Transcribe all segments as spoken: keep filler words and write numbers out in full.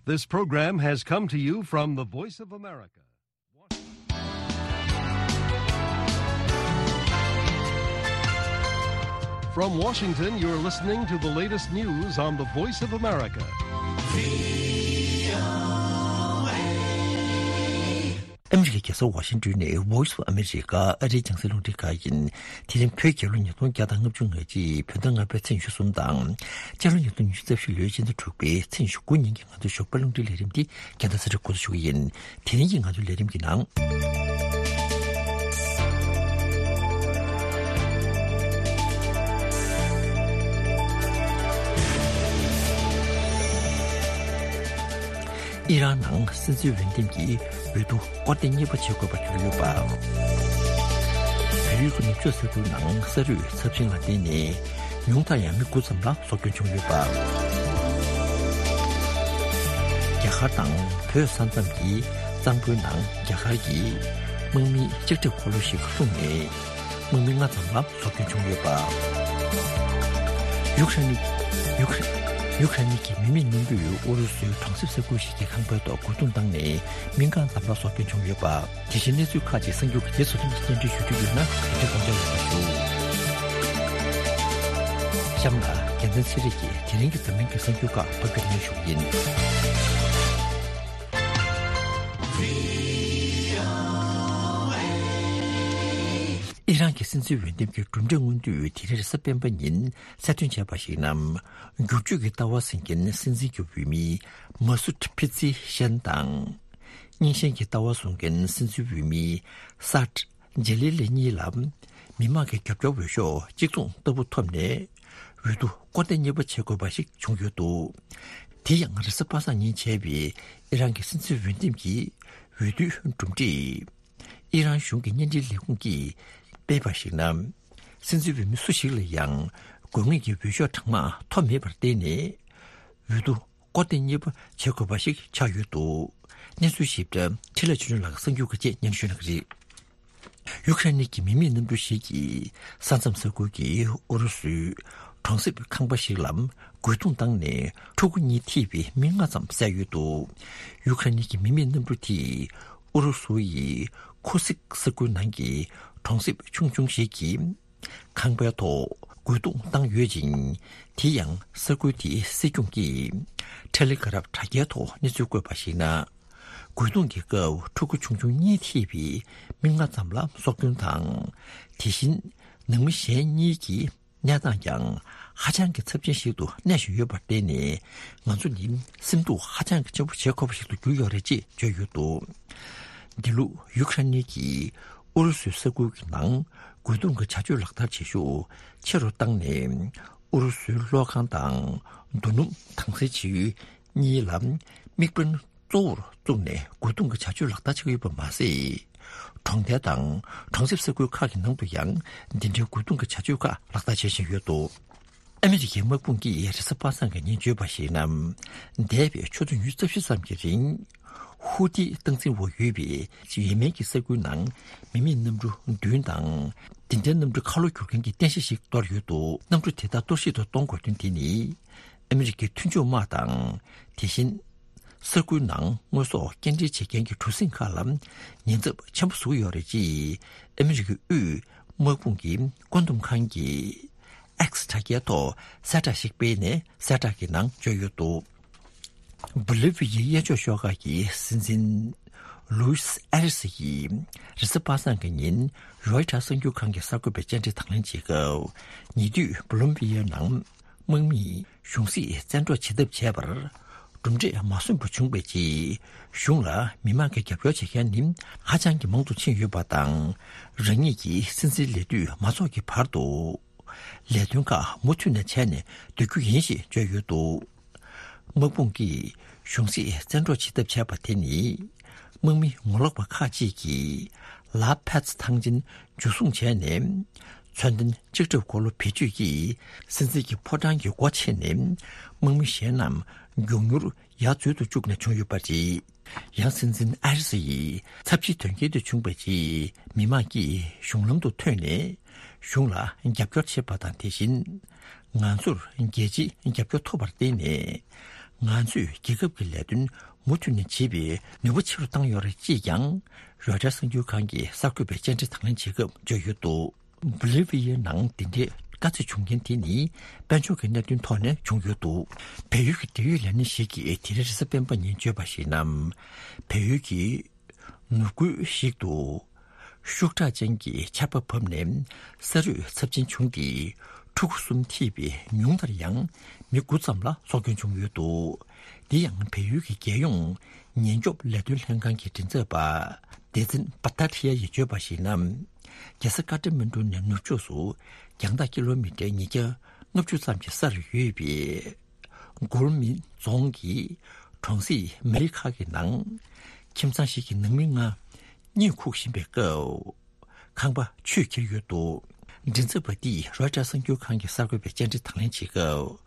This program has come to you from the Voice of America. From Washington, you're listening to the latest news on the Voice of America. ཨ་མི་རི་ཀའི་རྒྱལ་ས་ཝ་ཤིང་ཏོན་ནས་Voice of America ཨ་རིའི་རྒྱང་སྲིང་རླུང་འཕྲིན་ཁང་ཡིན། དེ་རིང་བོད་རྒྱལ་ལོ་ཉིས་སྟོང་བརྒྱ་དང་ལྔ་བཅུ་ང་གཅིག་བོད་ཟླ་ལྔ་པའི་ཚེས་ཉི་ཤུ་གསུམ་དང་། སྤྱི་ལོ་ཉིས་སྟོང་ཉི་ཤུ་རྩ་བཞི་ལོའི་ཕྱི་ཟླ་དྲུག་པའི་ཚེས་ཉི་ཤུ་དགུ་ཉིན་གྱི་ང་ཚོའི་ཞོགས་པའི་རླུང་འཕྲིན་ལས་རིམ་འདི་རྒྱང་བསྒྲགས་གསན་གྲབས་འགོ་འཛུགས་ཞུ་གི་ཡིན། དེ་རིང་གི་ང་ཚོའི་ལས་རིམ་གྱི་ནང་། ཨི་རན་ནང་སྲིད་འཛིན་འོས་འདེམས་ཀྱི་འོས་བསྡུ་སྐོར་ཐེངས་གཉིས་པ་བྱེད་དགོས་པར་གྱུར་ཡོད་པ། བལ་ཡུལ་གྱི་ནུབ་ཕྱོགས་ས་ཁུལ་ནང་ས་རུད་ཚབས་ཆེན་ལ་བརྟེན་ནས་ཉུང་མཐར་ཡང་མི་དགུ་ཙམ་ལ་སྲོག་སྐྱོན་བྱུང་ཡོད་པ། རྒྱ་གར་དང་བོད་ས་མཚམས་ཀྱི་གཙང་པོའི་ནང་རྒྱ་གར་གྱི་དམག་མིའི་ལྕགས་ཁྲབ་འཁོར་ལོ་ཞིག་ལྷུང་ནས་དམག་མི་ལྔ་ཙམ་ལ་སྲོག་སྐྱོན་བྱུང་ཡོད་པ། ཡུཀ་རེན་ནི་ཡུཀ་རེན་ཡུཀ་རེན་གྱི་མི་མེད་གནམ་གྲུས་ཨུ་རུ་སུའི་གྲོང་གསེབ་ས་ཁུལ་ཞིག་གི་ཁང་པའི་ཐོག་རྒོལ་རྡུང་བཏང་ནས་མི་ལྔ་ཙམ་ལ་སྲོག་སྐྱོན་བྱུང་ཡོད་པ། དེ་བཞིན་གནས་ཚུལ་ཁག་ཅིག་གསར་འགྱུར་གྱི་རྗེས་སུ་རིམ་གྱིས་སྙན་སྒྲོན་ཞུ་རྒྱུ་ཡོད་ན་དེ་འདྲ་དགོངས་འཇགས་ཡོད་པ་ཞུ། གཤམ་ལ་རྒྱལ་མཚན་ཚེ་རིང་གིས་དེ་རིང་གི་འཛམ་གླིང་གི་གསར་འགྱུར་ཁག་ཕབ་སྒྱུར་སྙན་ཞུ་གི་ཡིན། ཨི་རན་གྱི་སྲིད་འཛིན་འོས་འདེམས་ཀྱི་གྲུབ་འབྲས་སྔོན་དུས་དེ་རིང་རེས་གཟའ་སྤེན་པ་ཉིན་གསལ་སྟོན་བྱས་པར་གཞིགས་ན། བསྒྱུར་བཅོས་ཀྱི་ལྟ་བ་འཛིན་མཁན་སྲིད་འཛིན་གྱི་འོས་མི་མ་སུད་ཕི་ཙི་ཤན་དང་། རྙིང་ཞེན་གྱི་ལྟ་བ་བཟུང་མཁན་སྲིད་འཛིན་འོས་མི་སཱད་ཇེ་ལི་ལི་གཉིས་ལ་མི་མང་གི་རྒྱབ་སྐྱོར་འོས་ཤོག་གཅིག་མཚུངས་ལྟ་བུ་ཐོབ་ནས་འོས་བསྡུ་སྐོར་ཐེངས་གཉིས་པ་བྱེད་དགོས་པ་ཞིག་བྱུང་ཡོད་འདུག། དེ་ཡང་རེས་གཟའ་པ་སངས་ཉིན་བྱས་པའི་ཨི་རན་གྱི་སྲིད་འཛིན་འོས་འདེམས་ཀྱི་འོས་བསྡུའི་གྲུབ་འབྲས། ཨི་རན་གཞུང་གི་བརྙན་འཕྲིན་ལས་ཁུངས་ཀྱིས་སྤེལ་བར་གཞིགས་ན། སྲིད་འཛིན་འོས་མི་སུ་ཞིག་ལ་ཡང་དགོས་ངེས་ཀྱི་འོས་ཤོག་གྲངས་མང་ཐོབ་མེད་པར་བརྟེན་ནས། འོས་བསྡུ་སྐོར་ཐེངས་གཉིས་པ་བྱེད་དགོས་པ་ཞིག་ཆགས་ཡོད་འདུག། གནས་ཚུལ་ཞིབ་ཕྲ་འཕྲིན་ལས་ཆོས་སྒྲོན་ལགས་གསར་འགྱུར་ཁག་བཅས་སྙན་ཞུ་གནང་གི་རེད། ཡུ་ཁ་རེན་གྱི་མི་མེད་གནམ་གྲུ་ཞིག་གིས་ས་མཚམས་ས་ཁུལ་གྱི་ཨུ་རུ་སུའི་གྲོང་གསེབ་ཁང་པ་ཞིག་ལ་རྒོལ་རྡུང་བཏང་ནས་ཕྲུ་གུ་གཉིས་ཐེ་བའི་མི་ལྔ་ཙམ་བསད་ཡོད་འདུག། ཡུ་ཁ་རེན་གྱི་མི་མེད་གནམ་གྲུ་དེས་ཨུ་རུ་སུ་ཡི་ཁུ་སིག་ས་ཁུལ་ནང་གི་གྲོང་གསེབ་ཆུང་ཆུང་ཞིག་གི་ཁང་པའི་ཐོག་རྒོལ་རྡུང་བཏང་ཡོད་ཅིང་། དེ་ཡང་ས་ཁུལ་དེའི་སྲིད་སྐྱོང་གིས་ཐེ་ལེ་གྷ་རབ་དྲ་རྒྱའི་ཐོག་གནས་ཚུལ་བཀོད་པར་གཞིགས་ན། རྒོལ་རྡུང་གི་སྐབས་ཕྲུ་གུ་ཆུང་ཆུང་གཉིས་ཐེ་བའི་མི་ལྔ་ཙམ་ལ་སྲོག་སྐྱོན་དང་། དེ་བཞིན་ནང་མི་གཞན་གཉིས་ཀྱི་གནས་སྟངས་ཀྱང་ཧ་ཅང་གི་ཚབས་ཆེན་ཞིག་ཏུ་གནས་བཞིན་ཡོད་པར་བརྟེན་ནས། ང་ཚོ་ནི་སེམས་སྡུག་ཧ་ཅང་གི་ཆེན་པོ་བྱེད་དགོས་པ་ཞིག་ཏུ་གྱུར་ཡོད་རེད་ཅེས་བརྗོད་ཡོད་འདུག། འདི་ལོ་ཡུ་ཁ་རེན་གྱིས་ཨུ་རུ་སུའི་ས་ཁུལ་གྱི་ནང་རྒོལ་རྡུང་གི་བྱ་སྤྱོད་ལག་བསྟར་བྱེད་ཤུགས་ཆེ་རུ་བཏང་ནས། ཨུ་རུ་སུའི་གློག་ཁང་དང་རྡོ་སྣུམ་དྭངས་གསལ་བྱེད་ཡུལ་གཉིས་ལ་དམིགས་འབེན་གཙོ་བོར་བཙུགས་ནས་རྒོལ་རྡུང་གི་བྱ་སྤྱོད་ལག་བསྟར་བྱེད་ཀྱི་ཡོད་པ་མ་ཟད། གྲོང་རྡལ་དང་གྲོང་གསེབ་ས་ཁུལ་ཁག་གི་ནང་དུ་ཡང་འདི་འདྲའི་རྒོལ་རྡུང་གི་བྱ་སྤྱོད་ཁག་ལག་བསྟར་བྱེད་བཞིན་ཡོད་འདུག། ཨ་མི་རི་ཀའི་དམག་དཔུང་གིས་རེས་གཟའ་པ་སངས་ཀྱི་ཉིན་བརྗོད་པར་གཞིགས་ན། འདས་པའི་ཆུ་ཚོད་ཉི་ཤུ་རྩ་བཞི་ཙམ་གྱི་རིང་། ཧུ་ཐིའི་སྟངས་འཛིན་འོག་ཡོད་པའི་ཡེ་མེན་གྱི་ས་ཁུལ་ནང་མི་མེད་གནམ་གྲུ་བདུན་དང་། དེ་འདྲའི་གནམ་གྲུ་ཁ་ལོ་སྒྱུར་མཁན་གྱི་རྟེན་གཞི་ཞིག་གཏོར་ཡོད་འདུག། གནམ་གྲུ་དེ་དག་གཏོར་བཤིག་ཏུ་གཏོང་དགོས་དོན་དེ་ནི། ཨ་མི་རི་ཀའི་མཐུན་ཕྱོགས་དམག་དང་། དེ་བཞིན། ས་ཁུལ་ནང་དངོས་ཟོག་སྐྱེལ་འདྲེན་བྱེད་མཁན་གྱི་གྲུ་གཟིངས་ཁག་ལ་ཉེན་ཚབས་ཆེན་པོ་བཟོ་གི་ཡོད་རེད་ཅེས་ཨ་མི་རི་ཀའི་དབུས་དམག་དཔུང་གི་བཀོད་འདོམས་ཁང་གིས་X་དྲ་རྒྱའི་ཐོག་གསལ་བསྒྲགས་ཤིག་སྤེལ་ནས་གསལ་བསྒྲགས་ཀྱི་ནང་བརྗོད་ཡོད་འདུག། བོ་ལི་བི་ཡའི་གཡས་ཕྱོགས་ཤོག་ཁག་གི་སྲིད་འཛིན་ལུའུ་སི་ཨེ་རི་སི་ཡིས་རེས་གཟའ་པ་སངས་ཀྱི་ཉིན་རོའི་ཊར་གསར་འགྱུར་ཁང་གི་གསར་འགོད་པའི་བཅར་འདྲི་དང་ལེན་བྱེད་སྐབས། ཉེ་དུས་བོ་ལི་བི་ཡའི་ནང་དམག་མིས་གཞུང་སྲིད་བཙན་འཕྲོག་བྱེད་ཐབས་བྱས་པར་གྲུབ་འབྲས་མ་སོན་པ་བྱུང་བའི་རྗེས། གཞུང་ལ་མི་མང་གི་རྒྱབ་སྐྱོར་བྱེད་མཁན་ནི་ཧ་ཅང་གི་མང་དུ་ཕྱིན་ཡོད་པ་དང་། རང་ཉིད་ཀྱི་སྲིད་འཛིན་ལས་དུས་མ་རྫོགས་ཀྱི་བར་དུ་ལས་དོན་ཁག་མུ་མཐུད་ནས་བྱས་ནས་སྡོད་རྒྱུ་ཡིན་ཞེས་བརྗོད་ཡོད་འདུག། དམག་དཔུང་གིས་གཞུང་སྲིད་བཙན་འཕྲོག་བྱེད་ཐབས་བྱས་པ་དེ་ནི། དམག་མི་ངོ་ལོག་པ་ཁག་ཅིག་གིས་ལ་ཕད་ཐང་ཆེན་འཇུ་བཟུང་བྱས་ནས། མཚོན་ལྡན་ལྕགས་ཁྲབ་འཁོར་ལོ་བེད་སྤྱོད་ཀྱིས་སྲིད་འཛིན་གྱི་ཕོ་བྲང་གི་སྒོ་ཕྱེ་ནས། དམག་མི་གཞན་རྣམས་མགྱོགས་མྱུར་ཡར་འཛུལ་དུ་བཅུག་ནས་བྱུང་ཡོད་པ་རེད། ཡང་སྲིད་འཛིན་ཨ་རི་སི་ཡིས་ཚབས་ཆེའི་དོན་རྐྱེན་དེ་བྱུང་བའི་རྗེས། མི་མང་གིས་གཞུང་ལམ་དུ་ཐོན་ནས་གཞུང་ལ་རྒྱབ་སྐྱོར་བྱེད་པ་དང་། དེ་བཞིན་ང་ཚོར་རྒྱལ་སྤྱིའི་རྒྱབ་སྐྱོར་ཐོབ་པར་བརྟེན་ནས། ང་ཚོས་རྒྱལ་ཁབ་ཀྱི་ལས་དོན་མུ་མཐུད་ནས་བྱེད་པའི་ནུས་པ་ཆེ་རུ་བཏང་ཡོད་རེད་ཅེས་ཀྱང་རོའི་ཊར་གསར་འགྱུར་ཁང་གི་གསར་འགོད་པའི་བཅར་འདྲི་དང་ལེན་བྱེད་སྐབས་བརྗོད་ཡོད་འདུག། བྷོ་ལི་ཝི་ཡའི་ནང་འདི་འདྲའི་དཀའ་ཚེགས་བྱུང་རྐྱེན་དེ་ནི་དཔལ་འབྱོར་གྱི་གནད་དོན་ཐོག་ནས་བྱུང་ཡོད་འདུག། བལ་ཡུལ་གྱི་འབྲེལ་ཡོད་ལས་སྣེ་ཞིག་གིས་དེ་རིང་རེས་གཟའ་སྤེན་པ་ཉིན་བརྗོད་པར་གཞིགས་ན། བལ་ཡུལ་གྱི་ནུབ་ཁུལ་ཞིག་ཏུ་ཤུགས་དྲག་ཅན་གྱི་ཆར་པ་བབས་ནས་ས་རུད་ཚབས་ཆེན་བྱུང་སྟེ། ཕྲུ་གུ་གསུམ་ཐེ་བའི་ཉུང་མཐར་ཡང་མི་དགུ་ཙམ་ལ་སྲོག་སྐྱོན་བྱུང་ཡོད་འདུག། འདི་ཡང་བལ་ཡུལ་གྱི་རྒྱལ་ཡོངས་ཉེན་སྐྱོབ་ལས་དོན་ལྷན་ཁང་གི་མགྲིན་ཚབ་པ་བདེ་ཚན་བ་ཏཱ་ཐི་ཡ་ཡིས་བརྗོད་པར་གཞིགས་ན། རྒྱལ་ས་ཀ་ཏ་མན་གྲུ་ནས་ནུབ་ཕྱོགས་སུ་རྒྱང་ཐག་ཀི་ལོ་མི་ཊར་ཉིས་བརྒྱ་ལྔ་བཅུ་ཙམ་གྱི་སར་ཡོད་པའི་གུར་མིན་རྫོང་གི་གྲོང་གསེབ་མེ་རི་ཁག་གི་ནང་ཁྱིམ་ཚང་ཞིག་གི་ནང་མི་ལྔ་གཉིད་ཁུག་བཞིན་པའི་སྐབས། ཁང་པ་ཆུས་ཁྱེར་ཡོད་འདུག། མགྲིན་ཚབ་པ་འདིས་རོའི་ཊར་གསར་འགྱུར་ཁང་གི་གསར་འགོད་པའི་བཅར་འདྲི་དང་ལེན་བྱེད་སྐབས།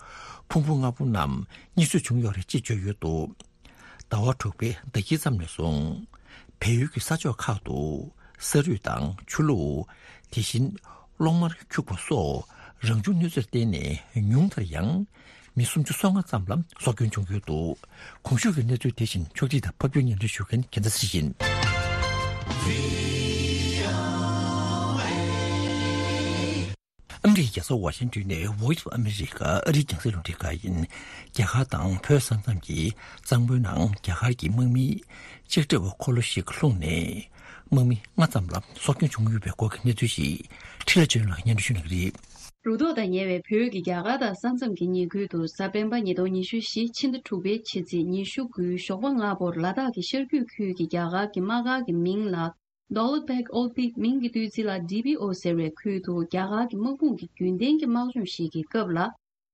ཕུང་པོ་ལྔ་པོ་རྣམས་གཉིད་སོས་བྱུང་ཡོད་རེད་ཅེས་བརྗོད་ཡོད་འདུག། ཟླ་བ་དྲུག་པའི་ཟླ་དཀྱིལ་ཙམ་ནས་བཟུང་། བལ་ཡུལ་གྱི་ས་ཕྱོགས་ཁག་ཏུ་ས་རུད་དང་ཆུ་ལོག། དེ་བཞིན་གློག་དམར་འཁྱུག་པ་སོགས་རང་བྱུང་གནོད་འཚེར་བརྟེན་ནས་ཉུང་མཐར་ཡང་། མི་སུམ་ཅུ་སོ་ལྔ་ཙམ་ལ་སྲོག་སྐྱོན་བྱུང་ཡོད་འདུག། གོང་ཞུས་ཀྱི་གནས་ཚུལ་དེ་བཞིན་ཕྱོགས་སྒྲིག་དང་ཕབ་སྒྱུར་སྙན་སྒྲོན་ཞུ་མཁན་རྒྱལ་མཚན་ཚེ་རིང་ཡིན། ཨ་མི་རི་ཀའི་རྒྱལ་ས་ཝ་ཤིང་ཏོན་ནས་Voice of America ཨ་རིའི་རྒྱང་སྲིང་རླུང་འཕྲིན་ཁང་ཡིན། རྒྱ་གར་དང་བོད་ས་མཚམས་ཀྱི་གཙང་པོའི་ནང་རྒྱ་གར་གྱི་དམག་མིའི་ལྕགས་ཁྲབ་འཁོར་ལོ་ཞིག་ལྷུང་ནས། དམག་མི་ལྔ་ཙམ་ལ་སྲོག་སྐྱོན་བྱུང་ཡོད་པའི་སྐོར་གྱི་གནས་ཚུལ་ཞིག་འཕྲིན་ལས་ཆོས་ལགས་སྙན་སྒྲོན་ཞུ་གནང་གི་རེད། རུ་ཐོག་དང་ཉེ་བའི་བོད་ཀྱི་རྒྱ་གར་དང་ས་མཚམས་ཀྱི་ཉེ་ཁུལ་དུ་གཟའ་སྤེན་པ་ཉིས་སྟོང་ཉི་ཤུ་བཞི་ཕྱི་ཟླ་དྲུག་པའི་ཕྱི་ཚེས་ཉི་ཤུ་དགུའི་ཞོགས་པ་སྔ་པོར་ལ་དྭགས་ཀྱི་ཤར་རྒྱུད་ཁུལ་གྱི་རྒྱ་གར་གྱི་དམག་སྒར་གྱི་མིང་ལ། Daulabeg Old Peak མིང་གི་བཏོན་ཚུལ་ལ་ཌི་པི་ཨོ་ཟེར་བའི་ཁུལ་དུ་རྒྱ་གར་གྱི་དམག་དཔུང་གི་རྒྱུན་ལྡན་གྱི་དམག་སྦྱོང་ཞིག་གི་སྐབས་ལ།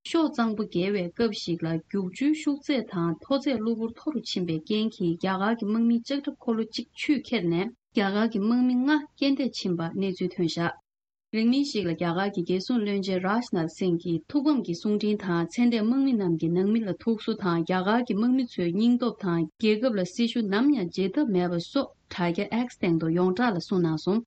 ཤོག་གཙང་པོ་བརྒལ་བའི་སྐབས་ཤིག་ལ་རྒྱུག་ཆུའི་ཤུགས་ཚད་དང་མཐོ་ཚད་གློ་བུར་མཐོ་རུ་ཕྱིན་པའི་རྐྱེན་གྱིས་རྒྱ་གར་གྱི་དམག་མིའི་ལྕགས་ཁྲབ་འཁོར་ལོ་གཅིག་ཆུས་ཁྱེར་ནས་རྒྱ་གར་གྱི་དམག་མི་ལྔ་རྐྱེན་འདས་ཕྱིན་པ་གནས་ཚུལ་ཐོན་བཞག། རིང་མིན་ཞིག་ལ་རྒྱ་གར་གྱི་རྒྱལ་སྲུང་བློན་ཆེན་རཱཇ་ནཱཐ་སིང་གིས་ཐུགས་ཕམ་གྱི་གསུང་འཕྲིན་དང་ཚེ་འདས་དམག་མི་རྣམས་ཀྱི་ནང་མི་ལ་ཐུགས་གསོ་དང་རྒྱ་གར་གྱི་དམག་མི་ཚོའི་སྙིང་སྟོབས་དང་རྒྱལ་ཁབ་ལ་སྲི་ཞུ་ནམ་ཡང་བརྗེད་ཐབས་མེད་པ་སོགས་དྲ་རྒྱ་X་སྟེང་དུ་ཡོངས་གྲགས་ལ་གསུངས་གནང་སོང་།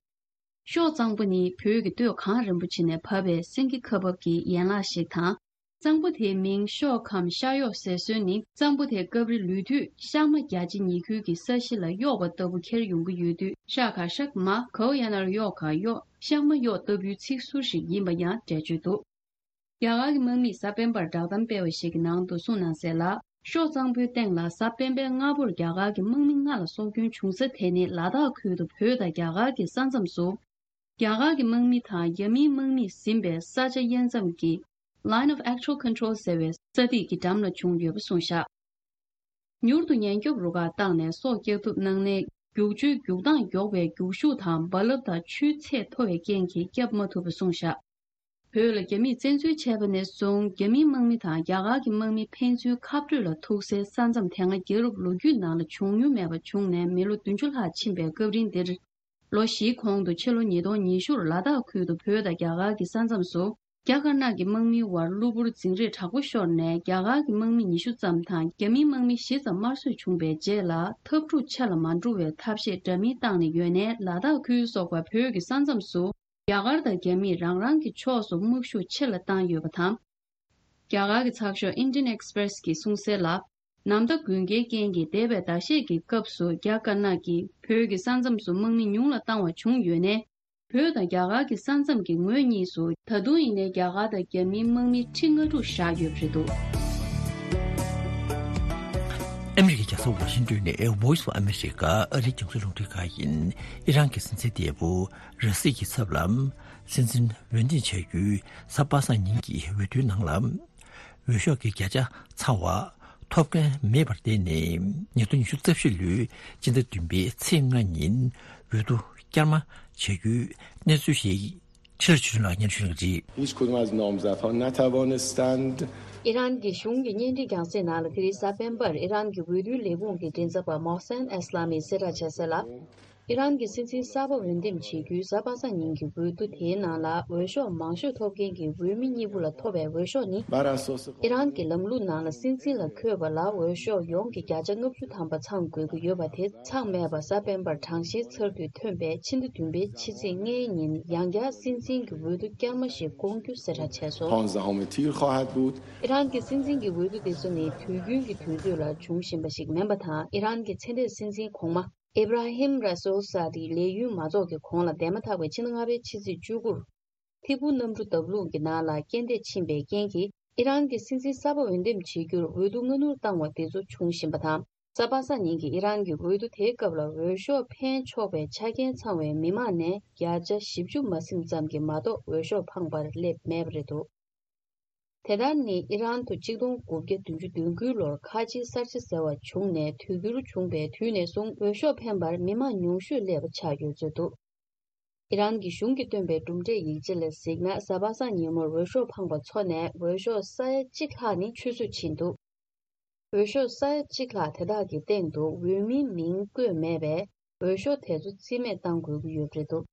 ཤོག་གཙང་པོ་ནི་བོད་ཀྱི་སྟོད་གངས་རིན་པོ་ཆེ་ནས་བབས་པའི་སེང་གེ་ཁ་འབབ་ཀྱི་ཡན་ལག་ཞིག་དང་། གཙང་པོ་དེའི་མིང་ཤོག་གམ་ཤར་གཡོག་ཟེར་སྲོལ་ནི། གཙང་པོ་དེ་སྐབས་རེ་ལུས་དུས་ཤག་མ་རྒྱ་ཆེ་ཉེ་ཁུལ་གྱི་ས་གཞི་ལ་གཡོག་པ་ལྟ་བུ་ཁྱེར་ཡོང་གི་ཡོད་དུས། ཤག་ག་ཤག་མ། གའོ་ཡ་ན་ར་གཡོག་ག་གཡོག་ཤག་མ་གཡོག་ལྟ་བུའི་ཚིག་ཟུར་ཞིག་ཡིན་པ་ཡང་འགྲེལ་བརྗོད་འདུག། རྒྱ་གར་གྱི་དམག་མིས་གཟའ་སྤེན་པར་བསྒྲགས་གཏམ་སྤེལ་བ་ཞིག་གི་ནང་དུ་གསུངས་གནང་གསལ་ལ། ཤོག་གཙང་པོའི་སྟེང་ལ་གཟའ་སྤེན་པའི་སྔ་པོར་རྒྱ་གར་གྱི་དམག་མི་ལྔ་ལ་སྲོག་སྐྱོན་བྱུང་ས་དེ་ནི་ལ་དྭགས་ཁུལ་དུ་བོད་དང་རྒྱ་གར་གྱི་ས་མཚམས་སུ། རྒྱ་གར་གྱི་དམག་མི་དང་རྒྱ་མིའི་དམག་མིས་ཟིན་པའི་ས་ཆ་དབྱེ་མཚམས་ཀྱི་Line of Actual Control ཟེར་བའི་ས་ཐིག་གི་འགྲམ་ལ་བྱུང་ཡོད་པ་གསུངས་བཞག། མྱུར་དུ་ཉེན་སྐྱོབ་རུ་ཁག་བཏང་ནས་སྲོག་བསྐྱབ་ཐུབ་གནང་ནའི། རྒྱུག་ཆུའི་རྒྱུག་སྟངས་མགྱོགས་པའི་རྒྱུག་ཤུགས་དང་རྦ་རླབས་དང་ཆུའི་ཚད་མཐོ་བའི་རྐྱེན་གྱིས་བསྐྱབ་མ་ཐུབ་པ་གསུངས་བཞག། བོད་ལ་རྒྱ་མིས་བཙན་འཛུལ་བྱས་པ་ནས་བཟུང་རྒྱ་མིའི་དམག་མི་དང་རྒྱ་གར་གྱི་དམག་མི་ཕན་ཚུན་ཁ་སྤྲོད་ལ་ཐུག་སའི་ས་མཚམས་དེ་སྔ་རྒྱལ་རབས་ལོ་རྒྱུས་ནང་ལ་བྱུང་མྱོང་མེད་པ་བྱུང་ནས་མི་ལོ་བདུན་ཅུ་ལྷག་ཕྱིན་པའི་སྐབས་རིང་འདིར། ལོ་བཞིའི་གོང་དུ་ཕྱི་ལོ་ཉིས་སྟོང་ཉི་ཤུར་ལ་དྭགས་ཁུལ་དུ་བོད་དང་རྒྱ་གར་གྱི་ས་མཚམས་སུ། རྒྱ་དཀར་ནག་གི་དམག་མིའི་དབར་གློ་བུར་འཛིང་རེས་དྲག་པོ་ཤོར་ནས་རྒྱ་གར་གྱི་དམག་མི་ཉི་ཤུ་ཙམ་དང་རྒྱ་མིའི་དམག་མི་བཞི་ཙམ་དམར་གསོད་བྱུང་བའི་རྗེས་ལ་འཐབ་འཁྲུག་ཆེ་ལ་མ་འགྲོ་བའི་ཐབས་ཤེས་འདྲ་མིན་བཏང་ནས་ཡོད་ནའི་ལ་དྭགས་ཁུལ་སོགས་པ་བོད་ཀྱི་ས་མཚམས་སུ་རྒྱ་གར་དང་རྒྱ་མིས་རང་རང་གི་ཕྱོགས་སུ་དམག་ཤུགས་ཆེ་ལ་བཏང་ཡོད་པ་དང་། རྒྱ་གར་གྱི་ཚགས་ཤོག་Indian Express གིས་གསུངས་གསལ་ལ། ནམ་ཟླ་དགུན་ཁའི་རྐྱེན་གྱིས་འདས་པའི་ཟླ་ཤས་ཀྱི་སྐབས་སུ་རྒྱ་དཀར་ནག་གིས་བོད་ཀྱི་ས་མཚམས་སུ་དམག་མི་ཉུང་ལ་བཏང་བ་བྱུང་ཡོད་ནའི། བོད་དང་རྒྱ་གར་གྱི་ས་མཚམས་ཀྱི་ངོས་གཉིས་སུ་ད་དུང་ཡིན་ནའི་རྒྱ་གར་དང་རྒྱ་མིའི་དམག་མི་ཁྲི་ལྔ་དྲུག་བཞག་ཡོད་པ་རེད་འདུག། ཨ་མི་རི་ཀའི་རྒྱལ་ས་ཝ་ཤིང་ཏོན་ནས་Voice of America ཨ་རིའི་རྒྱང་སྲིང་རླུང་འཕྲིན་ཁང་ཡིན། ཨི་རན་གྱི་སྲིད་འཛིན་འདས་པོ་ར་སི་ཡའི་ཚབ་ལ་སྲིད་འཛིན་འོས་འདེམས་བྱ་རྒྱུའི་གཟའ་པ་སངས་ཉིན་གྱི་འོས་བསྡུའི་ནང་ལ། འོས་ཤོག་གི་བརྒྱ་ཆ་ཚང་བ་ཐོབ་མཁན་མེད་པར་བརྟེན་ནས། ཉིས་སྟོང་ཉི་ཤུ་རྩ་བཞི་ལོའི་སྤྱི་ཟླ་བདུན་པའི་ཚེས་ལྔ་ཉིན་འོས་བསྡུ་བསྐྱར་མ་བྱ་རྒྱུའི་གནས་ཚུལ་ཞིག་ཕྱིར་བྱོན་ལ་སྙན་ཞུ་གནང་གི་རེད། هیچ کدوم از نامزدها نتوانستند. ཨི་རན་གྱི་གཞུང་གི་བརྙན་འཕྲིན་རྒྱང་སྲིང་ནང་ལ་དེ་རིང་གཟའ་སྤེན་པར་ཨི་རན་གྱི་འོས་བསྡུའི་ལས་ཁུངས་ཀྱི་མགྲིན་ཚབ་པ་མོ་སན་ཨེ་སི་ལ་མིས་གསལ་བསྒྲགས་བྱས་གསལ་ལ། ཨི་རན་གྱི་སྲིད་འཛིན་གསར་པ་འོས་འདེམས་བྱེད་རྒྱུའི་གཟའ་པ་སངས་ཉིན་གྱི་འོས་བསྡུ་དེའི་ནང་ལ་འོས་ཤོག་མང་ཤོས་ཐོབ་མཁན་གྱི་འོས་མི་གཉིས་པོ་ལ་ཐོབ་པའི་འོས་ཤོག་ནི། ཨི་རན་གྱི་ལམ་ལུགས་ནང་ལ་སྲིད་འཛིན་ལ་འཁོད་པ་ལ་འོས་ཤོག་ཡོངས་ཀྱི་བརྒྱ་ཆ་ལྔ་བཅུ་ཐམ་པ་ཚང་དགོས་ཀྱི་ཡོད་པ་དེ་ཚང་མེད་པར་གཟའ་སྤེན་པར་གྲངས་བཤེར་ཚར་དུས་ཐོན་པའི་ཕྱི་ཟླ་བདུན་པའི་ཕྱི་ཚེས་ལྔའི་ཉིན་ཡང་བསྐྱར་སྲིད་འཛིན་གྱི་འོས་བསྡུ་བསྐྱར་མ་ཞིག་བསྐོང་རྒྱུ་གསལ་བསྒྲགས་བྱས་སོང་། ཨི་རན་གྱི་སྲིད་འཛིན་གྱི་འོས་བསྡུ་དེ་ཚོ་ནི་དུས་རྒྱུན་གྱི་དུས་ཚོད་ལ་འབྱུང་བཞིན་པ་ཞིག་མིན་པ་དང་། ཨི་རན་གྱི་ཚེ་འདས་སྲིད་འཛིན་གོང་མ་ཨེབ་ར་ཧིམ་ར་སོལ་སཱ་དིའི་ལས་ཡུན་མ་རྫོགས་ཀྱི་གོང་ལ་འདས་མ་ཐག་པའི་ཕྱི་ཟླ་ལྔ་པའི་ཕྱི་ཚེས་བཅུ་དགུར་ཐིབས་པོ་གནམ་གྲུ་བརྡབ་ལྷུང་གི་ནང་ལ་རྐྱེན་འདས་ཕྱིན་པའི་རྐྱེན་གྱིས། ཨི་རན་གྱི་སྲིད་འཛིན་གསར་པ་འོས་འདེམས་བྱེད་རྒྱུར་འོས་བསྡུ་སྔ་སྣུར་བཏང་བ་དེ་ཚོ་འབྱུང་བཞིན་པ་དང་། གཟའ་པ་སངས་ཉིན་གྱི་ཨི་རན་གྱི་འོས་བསྡུ་དེའི་སྐབས་ལ་འོས་ཤོག་འཕེན་ཆོག་པའི་ཆ་རྐྱེན་ཚང་བའི་མི་མང་ནས་བརྒྱ་ཆ་བཞི་བཅུ་མ་ཟིན་ཙམ་གྱིས་མ་གཏོགས་འོས་ཤོག་འཕངས་པར་སླེབས་མེད་པ་རེད་འདུག་དེ་ལྟར་ནི་ཨི་རན་དུ་གཅིག་སྟོང་དགུ་བརྒྱ་བདུན་ཅུ་དོན་དགུའི་ལོར་ཁ་ཆེའི་གསར་བརྗེ་ཟེར་བ་བྱུང་ནས་དུས་འགྱུར་བྱུང་པའི་དུས་ནས་བཟུང་འོས་ཤོག་འཕེན་པར་མི་མང་ཉུང་ཤོས་སླེབས་པ་ཆགས་ཡོད་ཚོད་འདུག་ཨི་རན་གྱི་གཞུང་གིས་བཏོན་པའི་གྲུབ་འབྲས་ཡིག་ཆ་ལ་གཟིགས་ན། གཟའ་པ་སངས་ཉིན་མོར་འོས་ཤོག་འཕངས་པ་ཚོ་ནས་འོས་ཤོག་ས་ཡ་གཅིག་ལྷག་ནི་ཆུད་ཟོས་ཕྱིན་འདུག་འོས་ཤོག་ས་ཡ་གཅིག་ལྷག་དེ་དག་གི་སྟེང་དུ་འོས་མིའི་མིང་བཀོད་མེད་པས། འོས་ཤོག་དེ་ཚོ་རྩིས་མེད་བཏང་དགོས་ཀྱི་ཡོད་པ་རེད་འདུག་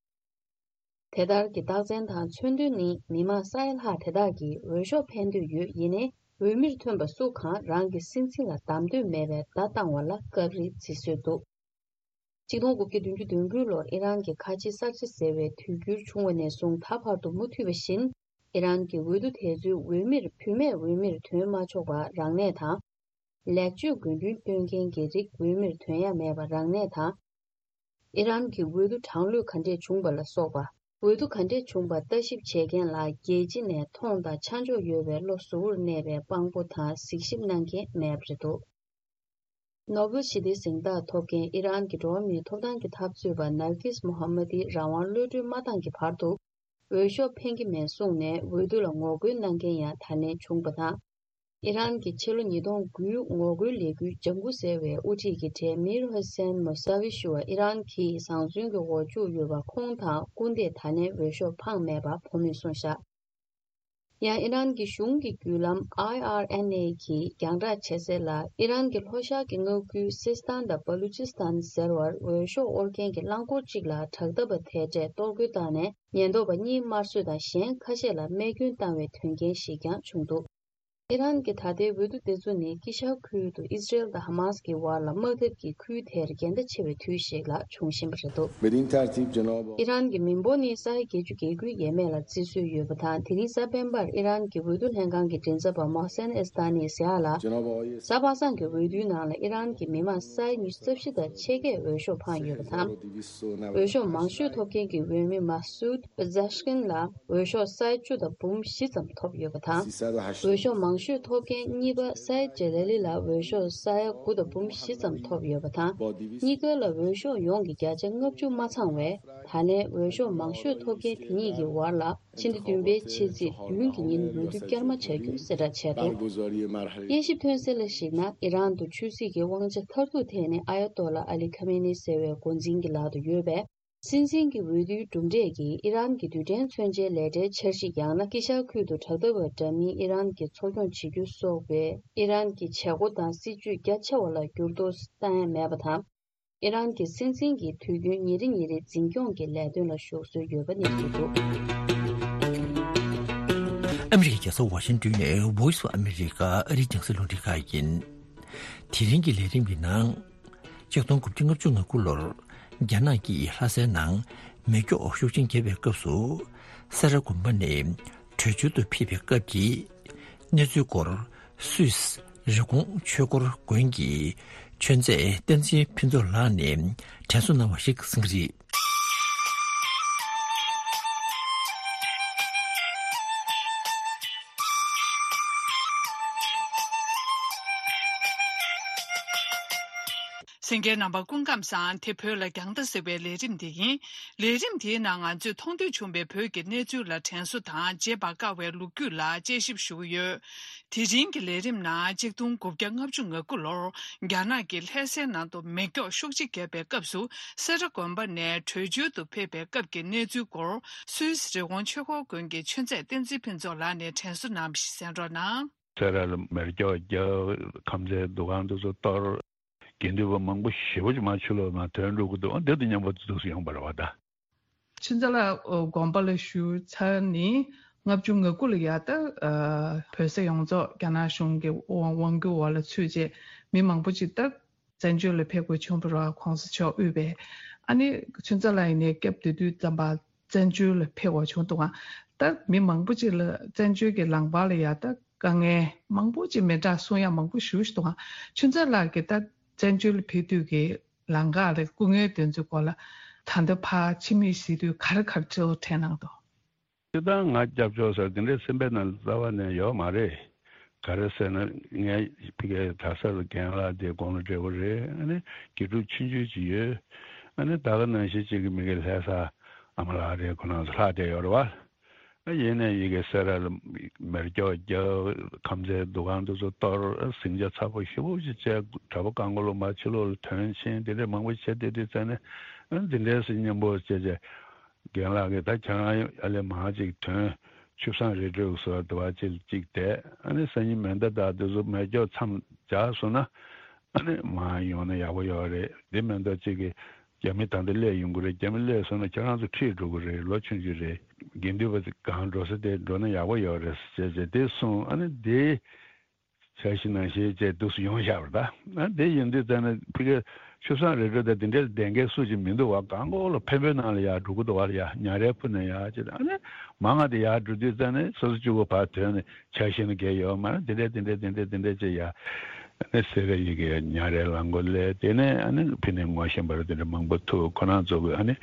དེ་ལྟར་གྱི་རྟགས་མཚན་དང་མཚོན་དོན་ནི། མི་མང་ས་ཡ་ལྷག་དེ་དག་གིས་འོས་ཤོག་འཕེན་འདོད་ཡོད། ཡིན་ནའི་འོས་མིར་ཐོན་པ་སུ་གང་རང་གི་སྲིད་འཛིན་ལ་གདམ་འདོད་མེད་པའི་བརྡ་བཏང་བ་ལ་སྐབས་རེ་བརྩི་སྲོལ་འདུག་གཅིག་སྟོང་དགུ་བརྒྱ་བདུན་ཅུ་དོན་དགུའི་ལོར་ཨི་རན་གྱི་ཁ་ཆེའི་གསར་བརྗེ་ཟེར་བའི་དུས་འགྱུར་བྱུང་བ་ནས་བཟུང་ད་བར་དུ་མུ་མཐུད་པ་བཞིན། ཨི་རན་གྱི་འོས་བསྡུ་དེ་ཚོའི་འོས་མིར་བུད་མེད་འོས་མིར་ཐོན་མ་ཆོག་པ་རང་གནས་དང་། ལེགས་བཅོས་དགོས་འདུན་བཏོན་མཁན་གྱི་རིགས་འོས་མིར་ཐོན་ཡ་མེད་པ་རང་གནས་དང་། ཨི་རན་གྱི་འོས་བསྡུ་གྲང་ལྷོད་ག་འདྲས་བྱུང་པ་ལ་སོགས་པ། འོས་བསྡུ་ག་འདྲས་བྱུང་པ་ལྟ་ཞིབ་བྱེད་མཁན་ལ་རྒྱལ་སྤྱི་ནས་མཐོང་དང་ཆ་འཇོག་ཡོད་པའི་བློ་གཟུ་བོར་གནས་པའི་དཔང་པོ་དང་གཟིགས་ཞིབ་གནང་མཁན་མེད་པ་རེད་འདུག་ནོ་བེལ་ཞི་བདེའི་གཟེངས་རྟགས་ཐོབ་མཁན་ཨི་རན་གྱི་འགྲོ་བ་མིའི་ཐོབ་ཐང་གི་འཐབ་རྩོད་པ་ནར་ཀིས་མོ་ཧམ་མ་ཏིས་རང་དབང་གློད་གྲོལ་མ་བཏང་གི་བར་དུ། འོས་ཤོག་འཕེན་གྱི་མེད་གསུངས་ནས་འོས་བསྡུ་ལ་ངོ་རྒོལ་གནང་མཁན་ཡང་ད་ལན་བྱུང་པ་དང་། ཨི་རན་གྱི་ཕྱི་ལོ་ཉིས་སྟོང་དགུའི་ངོ་རྒོལ་ལས་འགུལ་ལྗང་གུ་ཟེར་བའི་དབུ་ཁྲིད་ཀྱི་གྲས་མིར་ཧོ་སན་མོ་ས་བི་ཞུ་བ་ཨི་རན་གྱིས་བཟང་བཙོན་གྱི་འོག་བཅུག་ཡོད་པ་ཁོང་དང་སྐུ་ཟླས་ད་ལན་འོས་ཤོག་འཕངས་མེད་པ་བོད་མིས་གསུངས་བཞག་ཡང་ཨི་རན་གྱི་གཞུང་གི་བརྒྱུད་ལམ་ཨའི་ཨར་ཨེན་ཨེ་གིས་རྒྱང་བསྒྲགས་བྱས་གསལ་ལ། ཨི་རན་གྱི་ལྷོ་ཤར་གྱི་མངའ་ཁུལ་སིས་ཐན་དང་བ་ལུ་ཅིས་ཐན་ཟེར་བར་འོས་ཤོག་དབོར་མཁན་གྱི་རླངས་འཁོར་གཅིག་ལ་དྲག་འཐབ་པ་དེ་གྲས་གཏོར་རྒོལ་བཏང་ནས་ཉེན་རྟོག་པ་གཉིས་དམར་གསོད་དང་གཞན་ཁ་ཤས་ལ་རྨས་སྐྱོན་བཏང་བའི་དོན་རྐྱེན་ཞིག་ཀྱང་བྱུང་འདུག་ཨི་རན་གྱི་ད་ལྟའི་འོས་བསྡུ་དེ་ཚོ་ནི་དཀྱིལ་ཤར་ཁུལ་དུ་ཨི་སི་རེལ་དང་ཧ་མཱ་སི་ཀྱི་བར་ལ་དམག་འཐབ་ཀྱི་ཁུལ་དེར་འགལ་ཟླ་ཆེ་བའི་དུས་ཤིག་ལ་འབྱུང་བཞིན་པ་རེད་འདུག་ཨི་རན་གྱི་མི་འབོར་ནི་ས་ཡ་བརྒྱད་ཅུ་གྱ་དགུའི་ཡས་མས་ལ་བརྩི་སྲོལ་ཡོད་པ་དང་། དེ་རིང་གཟའ་སྤེན་པར་ཨི་རན་གྱི་འོས་བསྡུ་ལྷན་ཁང་གི་མགྲིན་ཚབ་པ་མོ་སན་ཨེ་སི་ཏཱ་ནིས་ཟེར་ཡག་ལ། གཟའ་པ་སངས་ཀྱི་འོས་བསྡུའི་ནང་ལ་ཨི་རན་གྱི་མི་མང་ས་ཡ་ཉི་ཤུ་རྩ་བཞི་དང་ཕྱེད་ཀས་འོས་ཤོག་འཕངས་ཡོད་པ་དང་། འོས་ཤོག་མང་ཤོས་ཐོབ་མཁན་གྱི་འོས་མི་མ་སུད་པ་ཛ་ཤ་ཀིན་ལ་འོས་ཤོག་ས་ཡ་བཅུ་དང་འབུམ་བཞི་ཙམ་ཐོབ་ཡོད་པ་དང་། འོས་ཤོག་མང་ཤོས་ཐོབ་མཁན་གཉིས་པ་ས་ཡ་ཇེ་ལ་ལི་ལ་འོས་ཤོག་ས་ཡ་དགུ་དང་འབུམ་བཞི་ཙམ་ཐོབ་ཡོད་པ་དང་། གཉིས་ཀ་ལ་འོས་ཤོག་ཡོངས་ཀྱི་བརྒྱ་ཆ་ལྔ་བཅུ་མ་ཚང་བས། ད་ལན་འོས་ཤོག་མང་ཤོས་ཐོབ་མཁན་དེ་གཉིས་ཀྱི་བར་ལ་ཕྱི་ཟླ་བདུན་པའི་ཕྱི་ཚེས་བདུན་གྱི་ཉིན་འོས་བསྡུ་བསྐྱར་མ་བྱ་རྒྱུ་གསལ་བསྒྲགས་བྱས་འདུག་དབྱེ་ཞིབ་ཐོན་གསལ་ལ་གཞིགས་ན། ཨི་རན་དུ་ཆོས་སྲིད་ཀྱི་དབང་ཆ་མཐར་ཐུག་ཐད་ནས་ཨ་ཡ་ཏོ་ལ་ཨ་ལི་ཁ་མེ་ནི་ཟེར་བའི་འགོ་འཛིན་གྱི་ལག་ཏུ་ཡོད་པས། སྲིད་འཛིན་གྱི་འོས་བསྡུའི་གྲུབ་འབྲས་ཀྱིས་ཨི་རན་གྱི་རྡུལ་ཕྲན་མཚོན་ཆའི་ལས་གྲྭའི་འཆར་གཞི་ཡང་ན་དཀྱིལ་ཤར་ཁུལ་དུ་དྲག་འཐབ་པ་འདྲ་མིན་ཨི་རན་གྱིས་འཚོ་སྐྱོང་བྱེད་རྒྱུ་སོགས་པའི་ཨི་རན་གྱི་བྱེད་སྒོ་དང་སྲིད་ཇུས་རྒྱ་ཆེ་བ་ལ་འགྱུར་ལྡོག་བཏང་ཡ་མེད་པ་དང་། ཨི་རན་གྱི་སྲིད་འཛིན་གྱིས་དུས་རྒྱུན་ཉིན་རེ་ཉིན་རེ་འཛིན་སྐྱོང་གི་ལས་དོན་ལ་ཞུགས་སྲོལ་ཡོད་པ་གནས་ཚུལ་འདུག་ཨ་མི་རི་ཀའི་རྒྱལ་ས་ཝ་ཤིང་ཏོན་ནས་Voice of America ཨ་རིའི་རྒྱང་སྲིང་རླུང་འཕྲིན་ཁང་ཡིན། དེ་རིང་གི་ལས་རིམ་གྱི་ནང་། ཆིག་སྟོང་དགུ་བརྒྱ་ལྔ་བཅུ་ང་དགུ་ལོར་རྒྱ་ནག་གིས་ལྷ་སའི་ནང་མེ་སྒྱོགས་ཤུགས་ཆེན་བརྒྱབ་པའི་སྐབས་སུ། སེ་ར་དགོན་པ་ནས་བྲོས་བྱོལ་དུ་ཕེབས་པའི་སྐབས་ཀྱི་གནས་ཚུལ་སྐོར་སུད་སི་རི་ཀོང་ཆོས་འཁོར་དགོན་གྱི་ཆོས་མཛད་བསྟན་འཛིན་ཕུན་ཚོགས་ལགས་ནས་དྲན་གསོ་གནང་བ་ཞིག་གསན་གྱི་རེད། གསན་མཁན་རྣམ་པ་སྐུ་ཁམས་བཟང་། དེ་བོད་ལ་རྒྱང་ལྟ་ཟེར་བའི་ལས་རིམ་དེ་ཡིན། ལས་རིམ་དེའི་ནང་ང་ཚོས་མཐོང་ཐོས་བྱུང་བའི་བོད་ཀྱི་གནས་ཚུལ་ལ་དྲན་གསོ་དང་བརྗེད་པར་དཀའ་བའི་ལོ་རྒྱུས་ལ་དཔྱད་ཞིབ་ཞུ་གི་ཡོད། དེ་རིང་གི་ལས་རིམ་ནང་གཅིག་སྟོང་དགུ་བརྒྱ་ལྔ་བཅུ་ང་དགུ་ལོར་རྒྱ་ནག་གིས་ལྷ་སའི་ནང་དུ་མེ་སྒྱོགས་ཤུགས་ཆེ་བརྒྱབ་པའི་སྐབས་སུ་སེ་ར་དགོན་པ་ནས་བྲོས་བྱོལ་དུ་ཕེབས་པའི་སྐབས་ཀྱི་གནས་ཚུལ་སྐོར་སུད་སི་རི་ཀོང་ཆོས་འཁོར་དགོན་གྱི་ཆོས་མཛད་བསྟན་འཛིན་ཕུན་ཚོགས་ལགས་ནས་དྲན་གསོ་གནང་བ་ཞིག་གསན་རོགས་གནང་། སེ་ར་ལ་མེ་སྒྱོགས་བརྒྱབ། ཁམས་ཚན་འདུ་ཁང་དེ་ཚོ་གཏོར། དགེ་འདུན་པ་མང་པོ་ཞེ་པོ་ཅིག་མར་ཕྱི་ལོགས་ནང་ཐོན་འགྲོ་གི་འདུག་འདི་དང་མཉམ་པོ་འདུག་སེ་ཡོང་བ་རེད་བ་ད། ཆོས་མཛད་ལགས་དགོན་པ་ལ་བཞུགས་ཚར་ནས་ལྔ་བཅུ་ང་དགུ་ལ་ཡ་ད་བོད་ས་ཡོངས་རྫོགས་རྒྱ་ནག་གཞུང་གི་དབང་སྒྱུར་འོག་ལ་ཚུད་རྗེས་མི་མང་པོ་ཅིག་ད་བཙན་བྱོལ་ལ་ཕེབས་དགོས་བྱུང་བ་རེད་བ། གོང་ས་མཆོག་དབུས་པའི་ཨ་ནི་ཆོས་མཛད་ལགས་ཡིན་ནའི་སྐབས་དེ་དུས་ཙམ་པ་བཙན་བྱོལ་ལ་ཕེབས་དགོས་བྱུང་འདུག་ག་ད་མི་མང་པོ་ཅིག་ལ་བཙན་བྱོལ་གྱི་ལམ་བར་ལ་ཡ་ད་དཀའ་ངལ་མང་པོ་ཅིག་མི་འདྲ་གསུང་ཡ་མང་པོ་ཞེ་པོ་ཅིག་འདུག་ག་ཆོས་མཛད་ལགས་ཀྱིས་ད་བཙན་བྱོལ་ལ་ཕེབས་དུས་ཀྱི་ལམ་ཁ་ལ་སྐུ་ངལ་དེ་ཚོའི་སྐོར་ལ་ད་ལྟ་ཕར་ཕྱི་མིག་གཟིགས་དུས་ག་རེ་ག་རེ་འཕྲོ་དྲན་གནང་འདུག་སྤྱིར་བཏང་ང་སྐྱབས་བཅོལ་ཟེར་དེ་འདྲའི་སེམས་པའི་ནང་རྩ་བ་ནས་ཡོད་མ་རེད། ག་རེ་ཟེར་ན་ངའི་ཕ་གིའི་གྲྭ་ས་ལ་རྒན་ལགས་དེ་དགུང་ལོ་བགྲེས་པོ་རེད། ཨ་ནི་དགེ་ཕྲུག་ཆུང་ཆུང་ཅིག་ཡོད། ཨ་ནི་ད་ག་ནང་བཞིན་ཅིག་གི་མི་གི་ལྷ་ས་ཨ་མ་ལགས་རེད། ཁོ་རང་ཚོ་ལྷག་བསྡད་ཡོད་རེད་བ། ཨ་ཡིན་ནའི་ཡི་གེ་སེ་ར་ལ་མེ་སྒྱོགས་བརྒྱབ། ཁམས་ཚན་འདུ་ཁང་དེ་ཚོ་གཏོར། ཟིང་ཆ་ཚ་པོ་ཞེ་པོ་ཅིག་བྱས། གྲྭ་པ་གང་ག་ལོ་མ་ཕྱི་ལོགས་ལ་ཐོན་ཕྱིན་དེ་འདྲའི་མང་པོ་བྱས་བསྡད་དུས་ཙང་ནས་ཨ་འདི་འདྲའི་སེ་མཉམ་པོ་བྱས་བྱས། རྒན་ལགས་ཀྱིས་ད་ཁྱེད་རང་ཨ་ལས་མང་ཅིག་ཐོན། ཆུ་བཟང་རི་ཁྲོད་བཟོ་བ་དུ་བ་ཅིག་ཅིག་བསྡད། ཨ་ནི་སང་ཉིན་མེ་མདའ་དང་དེ་ཚོ་མེ་སྒྱོགས་མཚམས་སྦྱར་སོང་ན་ཨ་ནི་མར་ཡོང་ན་ཡག་པོ་ཡོད་རེད། དེ་མེ་མདའ་ཅིག་གིས་རྒྱ་མི་ད་ལྟ་སླེབས་ཡོང་གི་རེད། རྒྱ་མི་སླེབས་སོང་ན་ཁྱེད་རང་ཚོ་ཁྲིད་འགྲོ་གི་རེད། ལོ་ཆུང་ཆུང་རེད། དགེ་འདུན་པ་ཚོ་གང་འགྲོ་ས་དེ་འགྲོ་ན་ཡག་པོ་ཡོད་རེད་ཟེར་བྱས་དེ་གསུངས། ཨ་ནི་དེ་འཆར་གཞི་ནང་བཞིན་བྱས་འདུག་སེ་ཡོང་བཞག་པ་རེད་ད། ཨ་དེ་ཡིན་དུས་ཙང་ནས་ཕ་གི་ཆུ་བཟང་རི་ཁྲོད་དང་དེ་འདྲའི་བསྡད་མཁན་སུ་ཅིག་མི་འདུག་བ། གང་གོ་ལ་འཕན་པོའི་ནང་ལ་ཡར་འགྲོ་གི་འདུག་བ། ཡར་ཉ་རལ་ཕུ་ནས་ཡར་བྱས། ཨ་ནི་མང་ང་དེ་ཡར་འགྲོ་དུས་ཙང་ནས་སོ་སོ་གཅིག་པོ་ཕར་ཐོན་ནས་འཆར་གཞི་ནི་གས་ཡོད་མ་རེད། དེ་འདྲས་དེ་འདྲས་དེ་འདྲས་དེ་འདྲས་བྱས་ཡར་ཨ་ནི་སེ་ར་ཡི་གེ་ཉ་རལ་ལ་མགོ་ལས་དེ་ནས་ཨ་ནི་ཕི་ནས་ངོ་ཤེས་པ་རེད། དེ་འདྲས་མང་པོ་ཐུག་ཁོ་རང་ཚོ་གི་ཨ་ནི་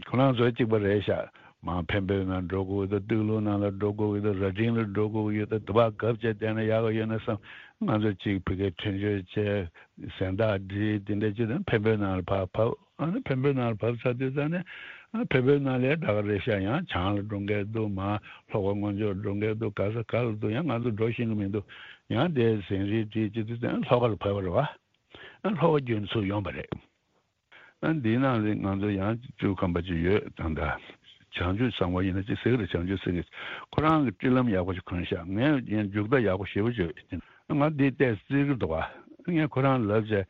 ཁོ་རང་ཚོ་གཅིག་པ་རེད་ཤག་མར་འཕན་པོའི་ནང་འགྲོ་དགོས་ཡོད་ད། སྟོད་ལུང་ནང་ལ་འགྲོ་དགོས་ཡོད་ད། རྭ་སྒྲེང་ལ་འགྲོ་དགོས་ཡོད་ད། དུ་བ་གབ་བྱས་བསྡད་ན་ཡག་ག་ཡོད་ན་བསམ། ང་ཚོ་གཅིག་ཕ་གིར་ཐོན་སྐྱོད་བྱས། གཟེངས་རྟགས་སྒྲིལ། དེ་འདྲ་བྱས་ད་འཕན་པོའི་ནང་ལ་ཕར་བབས། ཨ་ནི་འཕན་པོའི་ནང་ལ་བབས་ཚར་དུས་ཙང་ནས་ཨ་འཕན་པོའི་ནང་ལ་ད་ག་རེད་ཤག་ཡང་བྱང་ལ་འགྲོ་མཁན་འདུག་མར་ལྷོ་ཁ་སྔོན་ཕྱོགས་འགྲོ་མཁན་འདུག་ག་ས་ག་ལ་འདུག་ཡང་ང་ཚོ་འགྲོ་ཤེས་ཀྱི་མི་འདུག་ཡང་དེ་གཟེངས་རིས་སྒྲིལ་བྱས་དུས་ཙང་ལྷོ་ཁ་ལ་བབས་པ་རེད་བ། ཨ་ལྷོ་ཁ་བརྒྱུད་ནས་ཚུར་ཡོང་བ་རེད། ཨ་འདིའི་ནང་ལ་ང་ཚོ་ཡང་སྤྲུལ་སྐུ་ཁམས་པ་ཅིག་ཡོད། ད་ལྟ་བྱང་ཆུབ་གསང་བ་ཡིན་ན་ཅིག་ཟེར་གི་རེད། བྱང་ཆུབ་སེང་གེ། ཁོ་རང་གིས་སྤྲུལ་ལམ་ཡག་པོ་ཞིག་གོན་ཤག་ངས་ཡང་རྒྱུགས་དར་ཡག་པོ་ཞེ་པོ་ཅིག་ཡོད། ང་འདི་ལྟས་བརྩི་གི་འདུག་བ། ངས་ཁོ་རང་ལབ་བྱས།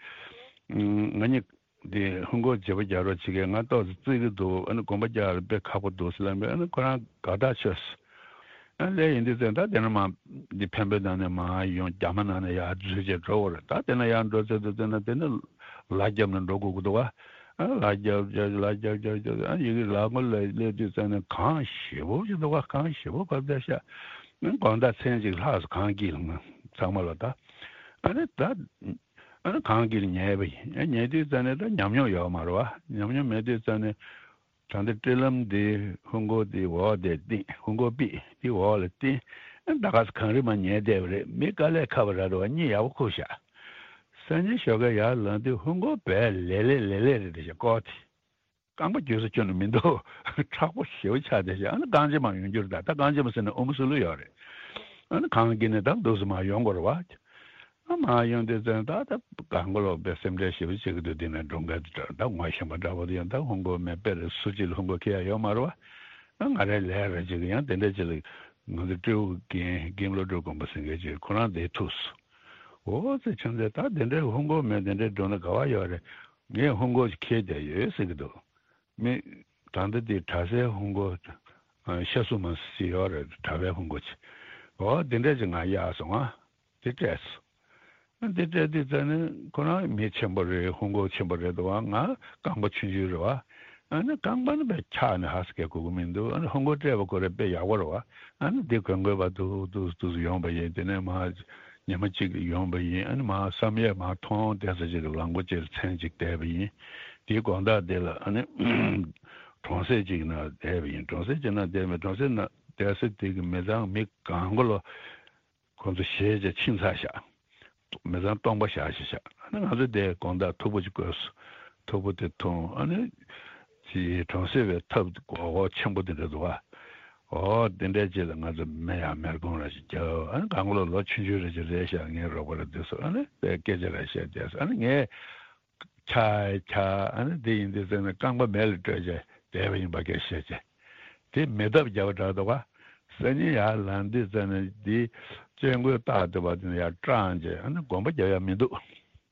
ང་གཉིས་འདི་ཧུན་སྒོར་བརྗེ་པོ་རྒྱག་རོགས་བྱེད་ཀྱི། ང་ཏོག་ཙམ་བརྩི་གི་འདུག་ཨ་ནི་དགོན་པ་རྒྱག་ཡ་ལ་དཔེ་ཁག་པོ་འདུག་ཟེར་ལབ་པས། ཨ་ནི་ཁོ་རང་དགའ་ཐག་ཆོད་སོང་། ཨ་ལས་ཡིན་དུས་ཙང་ད་དེ་ནས་མར་འདི་འཕན་པོའི་ནང་ནས་མར་ཡོང་རྒྱ་མ་ནང་ནས་ཡར་འཛུལ་བྱས་འགྲོ་དགོས་རེད། ད་དེ་ནས་ཡར་འགྲོ་ཚར་དུས་ཙང་ན་དེ་ནས་ལ་རྒྱབ་ནས་འགྲོ་དགོས་ཀྱི་འདུག་བ། ཨ་ལ་རྒྱབ་རྒྱབ་ལ་རྒྱབ་རྒྱབ་རྒྱབ། ཨ་ཡི་གེ་ལ་མགོ་ལ་སླེབས་དུས་ཙང་ནས་གངས་ཞེ་པོ་ཅིག་འདུག་བ། གངས་ཞེ་པོ་བབས་བསྡད་ཤག་ཨ་དགོང་དག་མཚན་གཅིག་ལྷག་སོང་། གངས་དཀྱིལ་ལ་ང་ཚང་མ་ལ་ད། ཨ་ནི་ད་ཨ་ནི་གངས་དཀྱིལ་ཉལ་བ་ཡིན། ཨ་ཉལ་དུས་ཙང་ནས་ད་ཉམས་མྱོང་ཡོད་མ་རེད་བ། ཉམས་མྱོང་མེད་དུས་ཙང་ནས། ད་ལྟ་སྤྲུལ་ལམ་འདི་ཧུན་སྒོར་འདི་འོག་དེ་བཏིང་། ཧུན་སྒོར་པི་འདི་འོག་ལ་བཏིང་། ཨ་ད་ག་ས་གངས་རི་མར་ཉལ་བསྡད་པ་རེད། མི་དཀའ་ལས་ཁག་པ་ར་རེད་བ། གཉིད་ཡག་པོ་ཁུག་ཤག་སང་ཉིན་ཞོགས་ཀས་ཡར་ལངས་དུས་ཧུན་སྒོར་བས་ལེ་ལེ་ལེ་ལེ་རེད་བསྡད་ཤག་ཀོ་དེ། རྐང་པ་འགྱོད་ས་ཁྱོན་ནས་མི་འདུག་མཁྲེགས་པོ་ཞེ་པོ་ཆགས་བསྡད་ཤག་ཨ་ནི་རྐང་རྗེས་མར་ཡོང་རྒྱུ་རེད་ད། ད་རྐང་རྗེས་མ་ཟེར་ན་ཨོ་མོ་སུ་ལུ་ཡོད་རེད། ཨ་ནི་གངས་དཀྱིལ་ནས་ད་འདུག་སེ་མར་ཡོང་དགོས་རེད་བ། ཨ་མར་ཡོང་དུས་ཙང་ད་ལྟ་གང་ག་ལོག་པའི་སེམས་ཁྲལ་ཞེ་པོ་བྱེད་ཀྱི་འདུག་འདི་ནས་འགྲོ་མཁན་དེ་འདྲ་ད་ངོ་ཤེས་པ་འདྲ་བོ་དེ་ཡང་ད་ཧུན་སྒོར་མེད་པས་རེད། སུ་གཅིག་ལ་ཧུན་སྒོར་ཁྱེར་ཡ་ཡོད་མ་རེད་བ། ཨ་ང་རའི་ལས་རེད་ཅིག་ཡང་དེ་འདྲ་ཅིག་ལ་ང་ཚོ་སྤྲེའུ་རྒན་རྒན་བློ་གྲོས་དགོན་པ་ཟེར་མཁན་ཅིག་ཁོ་རང་དེ་ཐུག་སོང་། འོ་ཙི་ཆུང་ཚེ་ད་དེ་འདྲའི་ཧུན་སྒོར་མེད་དེ་འདྲའི་འགྲོ་ན་ག་བ་ཡོད་རེད། ངས་ཧུན་སྒོར་ཅིག་ཁྱེར་བསྡད་ཡོད་ཟེར་གྱི་འདུག་མི་ད་ལྟ་དེ་གྲྭ་སའི་ཧུན་སྒོར་ཤ་སུ་མ་ཞིག་ཡོད་རེད། གྲྭ་པའི་ཧུན་སྒོར་ཅིག་འོ་དེ་འདྲ་ཅིག་ང་གཡར་སོང་ང་། དེ་སྤྲད་སོང་། དེ་སྤྲད་དུས་ཙང་ནས་ཁོ་རང་མི་ཆེན་པོ་རེད། ཧུན་སྒོར་ཆེན་པོ་རེད་འདུག་བ། ང་རྐང་པ་ཆུང་ཆུང་རེད་བ། ཨ་ནི་རྐང་པ་ནི་དཔེ་འཁྱག་ནས་ཧ་སེ་གས་དགོས་ཀྱི་མི་འདུག་ཨ་ནི་ཧུན་སྒོར་སྤྲད་པ་ཁོ་རང་དཔེ་ཡག་པོ་རེད་བ། ཨ་ནི་འདི་གོན་དགོས་པ་འདུག་འདུག་འདུག་ཡོང་པ་ཡིན། དེ་ནས་མར་ཉི་མ་གཅིག་ཡོང་པ་ཡིན། ཨ་ནི་མར་བསམ་ཡས་མར་མཐོང་བསྡད་ས་ཅིག་གི་ལམ་སྒོ་ཅིག་ལ་མཚན་གཅིག་བསྡད་པ་ཡིན། དེའི་དགོང་དག་དེ་ལ་ཨ་ནི་གྲོང་གསེབ་ཅིག་ནང་བསྡད་པ་ཡིན། གྲོང་གསེབ་ཅིག་ནང་བསྡད་པ། གྲོང་གསེབ་ནང་བསྡད་ས་དེ་གི་མི་ཚང་མི་གང་ག་ལོ། ཁོང་ཚོ་ཞེད་བྱས་ཕྱིན་ཚར་ཤག་མི་ཚང་སྟོང་པ་བཞག་ཤག་ཤག་ཨ་ནི་ང་ཚོ་དེ་དགོང་དག་ཐུག་པ་ཅིག་བསྐོལ་སོང་། ཐུག་པ་དེ་འཐུང་། ཨ་ནི་ཅི་གྲོང་གསེབ་པའི་ཐབ་སྒོར་སྒོར་ཆེན་པོ་དེ་འདྲ་འདུག་ཨ། འོ་དེ་འདྲའི་རྗེས་ལ་ང་ཚོ་མེ་ཡང་མེར་གོང་ར་ཞིག་རྒྱབ། ཨ་ནི་གང་ག་ལོ་ལོ་ཆུང་ཆུང་རེ་ཅིག་རེད་ཤག་ངའི་རོགས་པ་ར་དེ་ཚོ་ཨ་ནི་དཔེ་སྐད་ཆ་ར་བཤད་བསྡད་སོང་། ཨ་ནི་ངས་ཆ་ཆ་ཨ་ནི་དེ་ཡིན་དུས་ཙང་ནས་རྐང་པ་མེ་ལ་སྤྲོད་བྱས་བསྡད་པ་ཡིན་པ་སྐད་བཤད་བྱས། དེ་མེ་ཐབ་བརྒྱབ་པ་འདྲ་འདུག་ག་སང་ཉིན་ཡར་ལངས་དུས་ཙང་ནས་དེ་སྐྱེ་དགུའི་རྟགས་དེ་བ་དེ་ནས་ཡར་སྐྲངས་བྱས། ཨ་ནི་གོམ་པ་རྒྱག་ཡ་མི་འདུག་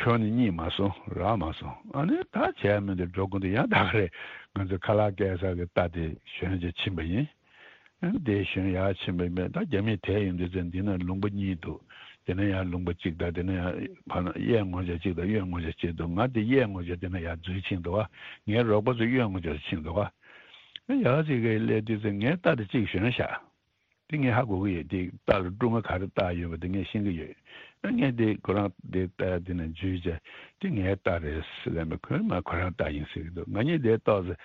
ཁྱོན་ནས་རྙེད་མ་སོང་། རག་མ་སོང་། ཨ་ནི་ད་བྱས་མི་འདུག་འགྲོ་དགོས་འདུག་ཡང་ད་ག་རེ་ང་ཚོ་ཁ་ལག་སྐྱེལ་ས་གི་རྟ་དེ་ཞོན་ཅིག་ཕྱིན་པ་ཡིན། ཨ་ནི་དེ་ཞོན་ཡར་ཕྱིན་པ་ཡིན་པས། ད་རྒྱ་མིས་དེད་ཡོང་དུས་ཚོད་འདི་ན་ལུང་པ་གཉིས་འདུག་དེ་ན་ཡང་ལུང་པ་གཅིག་དང་། དེ་ན་ཡང་ཕར་ན་གཡས་ངོས་ཆ་གཅིག་དང་གཡོན་ངོས་ཆ་གཅིག་འདུག་ང་དེ་གཡས་ངོས་ཆ་དེ་ན་ཡར་འཛུལ་ཕྱིན་འདུག་བ། ངའི་རོགས་པ་ཚོ་གཡོན་ངོས་ཆ་ཕྱིན་འདུག་བ། ཡར་ཅིག་གི་སླེབས་དུས་ཚོད་ངའི་རྟ་དེ་གཅིག་ཞོན་བཞག་དེ་ངས་ཧ་གོ་གི་ཡོད། དེ་རྟ་ལ་ཀྲུང་ང་ག་རེ་བཏགས་ཡོད་པ་དེ་ངས་ཤེས་ཀྱི་ཡོད། ངས་དེ་ཁོ་རང་དེ་ལྟ་དེ་ནས་འཇུས་བྱས་དེ་ངའི་རྟ་རེད་ཟེར་ལབ་པས། ཁོས་མ་ཁོ་རང་རྟ་ཡིན་ཟེར་གྱི་འདུག་ང་གཉིས་དེ་ཏོག་ཙམ་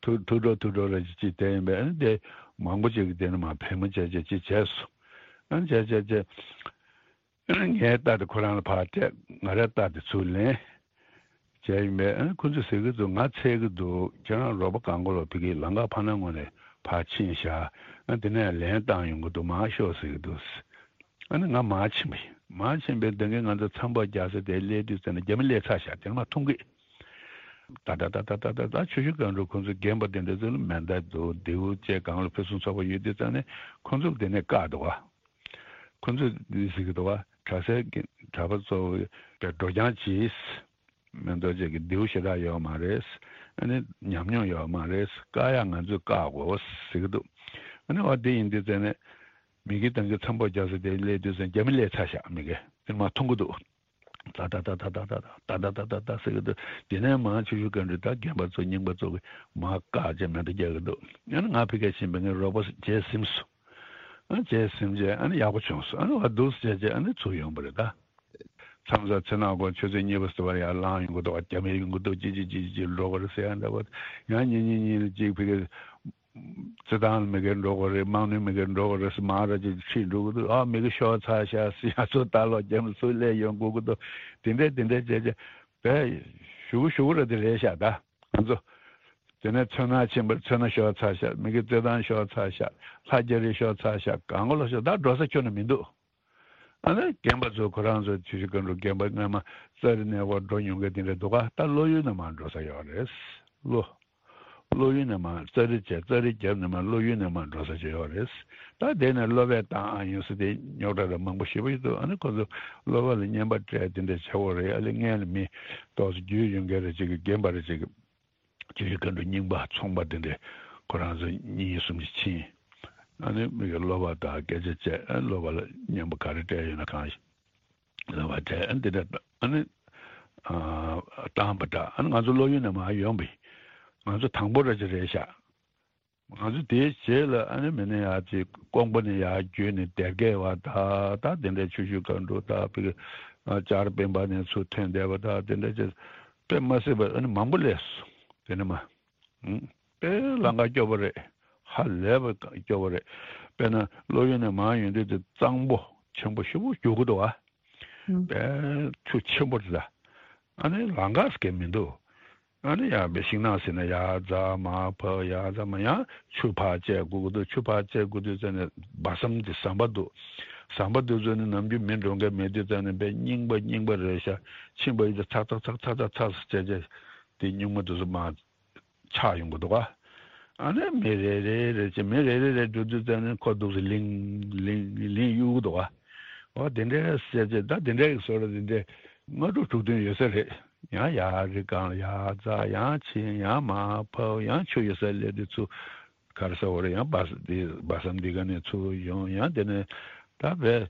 ཐུག་ཐུག་འགྲོ་ཐུག་འགྲོ་ར་ཅིག་ཅིག་དེ་ཡིན་པས། ཨ་ནི་དེ་མང་པོ་ཅིག་གིས་དེ་ནས་མ་ཕལ་མོ་བྱས་བྱས་ཅིག་བྱས་སོང་། ཨ་ནི་བྱས་བྱས་བྱས། ངའི་རྟ་དེ་ཁོ་རང་ལ་ཕར་སྤྲད། ང་རའི་རྟ་དེ་ཚུར་ལེན་བྱས་ཡིན་པས། ཨ་ཁོ་ཚོས་ཟེར་གྱི་འདུག་ང་འཚོལ་གྱི་འདུག་ཁྱེད་རང་རོགས་པ་གང་དགོས་ལ་ཕ་གིའི་ལམ་ཁ་ཕར་ནང་ངོས་ནས་ཕར་ཕྱིན་བཞག་ཨ་དེ་ནས་ལན་བཏང་ཡོང་གི་འདུག་མར་ཤོག་ཟེར་གྱི་འདུག་ཨ་ནི་ང་མར་ཕྱིན་པ་ཡིན། མར་ཕྱིན་པས་དེ་གའི་ང་ཚོ་མཚམས་པ་རྒྱག་ས་དེ་སླེབས་དུས་ཙམ་ན་རྒྱ་མི་སླེབས་ཚར་བཞག་དེ་ནས་མར་ཐུང་གི་ད་ད་ད་ད་ད་ད་ཆུ་ཤུར་སྒང་དྲུག་ཁོང་ཚོའི་རྒན་པ་དེ་འདྲ་ཚོ་ལ་མེ་མདའ་འདུག་མདེའུ་བཅས་གང་ལ་ཕུན་སུམ་ཚོགས་པ་ཡོད་དུས་ཙམ་ནས་ཁོང་ཚོ་ལ་དེ་ནས་བཀག་འདུག་བ། ཁོ་ཚོས་འདི་ཟེར་གྱི་འདུག་བ། གྲྭ་སའི་གྲྭ་པ་ཚོ་འགྲོ་རྐྱང་གྱིས་མི་འདུག་ཅེས་ཀྱི་མདེའུ་ཞེ་དྲག་ཡོད་མ་རེད། ཨ་ནི་ཉམས་མྱོང་ཡོད་མ་རེད། བཀག་ཡག་ང་ཚོས་བཀག་དགོས་ཟེར་གྱི་འདུག་ཨ་ནི་འོ་དེ་ཡིན་དུས་ཙང་ནས་མི་གི་དང་གི་མཚམས་པ་རྒྱག་ས་དེ་སླེབས་དུས་ཙང་རྒྱ་མི་སླེབས་ཚར་ཤག་མི་གི་དེ་མར་མཐོང་གི་འདུག་ད་ད་ད་ད་ཟེར་གྱི་འདུག་དེ་ནས་མར་ཆུ་ཤུར་སྒང་དྲུག་ད་རྒན་པ་ཚོ་རྙིང་པ་ཚོ་གི་མར་བཀག་བྱས་མེ་མདའ་རྒྱག་གི་འདུག་ཨ་ནི་ང་ཕ་གིར་ཕྱིན་པའི་ངའི་རོགས་པ་བྱས་ཟིན་སོང་། ཨ་བྱས་ཟིན་བྱས་ཨ་ནི་ཡག་པོ་བྱུང་སོང་། ཨ་ནི་བ་འདུག་སེ་བྱས་བྱས་ཨ་ནི་ཚུར་ཡོང་བ་རེད་ད། མཚམས་མཚམས་ཚེ་ནག་གོ་ཆུ་ཚོད་གཉིས་པ་ཟེར་བ་ཡར་ལངས་ཡོང་གི་འདུག་རྒྱ་མི་ཡོང་གི་འདུག་ཅི་ཅི་ཅི་ཅི་འགྲོ་གི་རེད་ཟེར་ཡང་འདྲ་བ། ཡང་ཉིན་གཉིས་གཉིས་ལ་གཅིག་ཕ་གིར་རྩེད་ཐང་ལ་མི་སྒེར་འགྲོ་གི་རེད། དམག་མི་མི་སྒེར་འགྲོ་གི་རེད་ཟེར་མང་ར་ཅིག་ཁྲིད་འགྲོ་གི་འདུག་ཨ་མི་གི་ཤོར་ཚར་ཤག་ཟེར་ཡང་ཚོ་ལྟ་ལོག་རྒྱ་མི་ཚུར་སླེབས་ཡོང་དགོས་ཀྱི་འདུག་དེ་འདྲས་དེ་འདྲས་བྱས་བྱས་བས་ཞུ་གི་ཞུ་གི་རེད། དེ་རེད་ཤག་ད་ང་ཚོ། དེ་ནས་མཚོ་སྣ་ཕྱིན་པར་མཚོ་སྣ་ཤོར་ཚར་ཤག་མི་གི་རྩེད་ཐང་ཤོར་ཚར་ཤག་ལྷ་རྒྱ་རི་ཤོར་ཚར་ཤག་གང་ག་ལོ་ཤོར་ད་འགྲོ་ས་ཁྱོན་ནས་མི་འདུག་ཨ་ནི་རྒན་པ་ཚོ་ཁོ་རང་ཚོ་ཆུ་ཤུར་སྒང་དྲུག་རྒན་པ་སྔ་མ་ཙཱ་རི་གནས་སྐོར་འགྲོ་མྱོང་མཁན་དེ་འདྲ་འདུག་ག་ད་ལོ་ཡུལ་ནས་མར་འགྲོ་ས་ཡོད་རེད། ལོ། ལོ་ཡུལ་ནས་མར་ཙཱ་རི་བྱས་ཙཱ་རི་རྒྱབ་ནས་མར་ལོ་ཡུལ་ནས་མར་འགྲོ་ས་ཅིག་ཡོད་རེད། ད་དེ་ནས་གློ་བས་བཏང་ཨ་ཡོང་ས་དེ་རྙོག་དྲ་ར་མང་པོ་ཞེ་པོ་ཞིག་འདུག་ཨ་ནི་ཁོ་ཚོ་གློ་བ་ལ་རྔན་པ་སྤྲད་དེ་འདྲ་བྱེད་དགོས་རེད། ཨ་ལེ་སྔན་ལ་མི་ཏོག་ཙམ་རྒྱུས་ཡོད་མཁན་རེ་ཅིག་གི་རྒན་པ་རེ་ཅིག་གི་ཆུ་ཤུར་སྒང་དྲུག་རྙིང་པ་ཚོང་པ་དེ་འདྲས་ཁོ་རང་ཚོ་གཉིས་གསུམ་ཅིག་ཕྱིན། ཨ་ནི་མི་གི་གློ་བ་དང་སྐད་ཆ་བཅད་ཨ་གློ་བ་ལ་རྔན་པ་ག་རེ་སྤྲད་ཡོད་ན་གང་ཞིག་གློ་བ་སྤྲད་ཨ་འདི་འདྲ་ཨ་ནི་ཨ་བཏང་པ་འདྲ། ཨ་ནི་ང་ཚོ་ལོ་ཡུལ་ནས་མར་ཡོང་པས། ང་ཚོ་དང་པོ་ར་ཅིག་རེད་ཤག་ང་ཚོ་དེའི་རྗེས་ལ་ཨ་ནི་མི་ནི་ཡར་ཅིག་ཀོང་པོ་ནས་ཡར་བརྒྱུད་ནས་སྡེར་ཀའི་བ་ད་ད་དེ་འདྲའི་ཆུ་ཤུར་སྒང་དྲུག་ད་ཕ་གི་ཨ་ལྕགས་རི་སྤེན་པ་ནས་ཚུར་ཐོན་བསྡད་པ་ད་དེ་འདྲ་ཅིག་དཔེ་མ་སྲིད་པ་ཨ་ནི་མང་པོ་སླེབས་སོང་། དེ་ནས་མར་ཨུམ་དཔེ་ལམ་ཁ་སྐྱོ་པོ་རེད། ཧ་ལས་པ་སྐྱོ་པོ་རེད། དཔེར་ན་ལོ་ཡུལ་ནས་མར་ཡོང་དུས་དེ་གཙང་པོ་ཆེན་པོ་ཞེ་པོ་རྒྱུག་གི་འདུག་ཨ། ཨུམ། དཔེ་ཆུ་ཆེན་པོ་རེད་ད། ཨ་ནི་ལམ་ཁ་ཟེར་མཁན་མི་འདུག་ཨ་ནི་ཡང་དཔེ་ཤིང་ནགས་ཟེར་ན་ཡར་འཛེགས་མར་བབས་ཡར་འཛེགས་མར་ཡང་ཆུ་ཕར་བཅད་དགོས་ཀྱི་འདུག་ཆུ་ཕར་བཅད་དགོས་དུས་ཙམ་ནས་སྦ་གསུམ་དེ་ཟམ་པ་འདུག་ཟམ་པ་དེ་ཚོ་ནི་ནམ་རྒྱུན་མི་འགྲོ་མཁན་མེད་དུས་ཙམ་ནས་དཔེ་རྙིང་པ་རྙིང་པ་རེད་ཤག་ཕྱིན་པ་ཡིན་ཙང་ཚག་ཚག་ཚག་ཚག་ཚག་ཚག་ཟེར་བྱས་བྱས་དེ་རྙིང་མ་དེ་ཚོ་མར་ཆག་ཡོང་གི་འདུག་ག་ཨ་ནི་མི་རེ་རེ་རེ་བྱས་མི་རེ་རེ་རེ་འགྲོ་དུས་ཙམ་ནས་ཁོ་འདུག་སེ་ལིང་ལིང་ལིང་གཡུག་གི་འདུག་ག་འོ་དེ་འདྲའི་ཟེར་བྱས་ད་དེ་འདྲའི་བཟོ་འདྲ་དེ་འདྲའི་ལྔ་དྲུག་དྲུག་བདུན་ཡོད་ས་རེད། ཡང་ཡར་རི་སྒང་ལ་ཡར་འཛེགས་ཡང་ཕྱིན་ཡང་མར་བབས་ཡང་ཆུ་ཡོད་སར་སླེབས་དུས་ཚུར་ག་རེ་ཟེར་དགོས་རེད། ཡང་སྦ་ས་འདི་སྦ་གསུམ་འདི་ག་ནས་ཚུར་ཡོང་ཡང་དེ་ནས་ད་བས།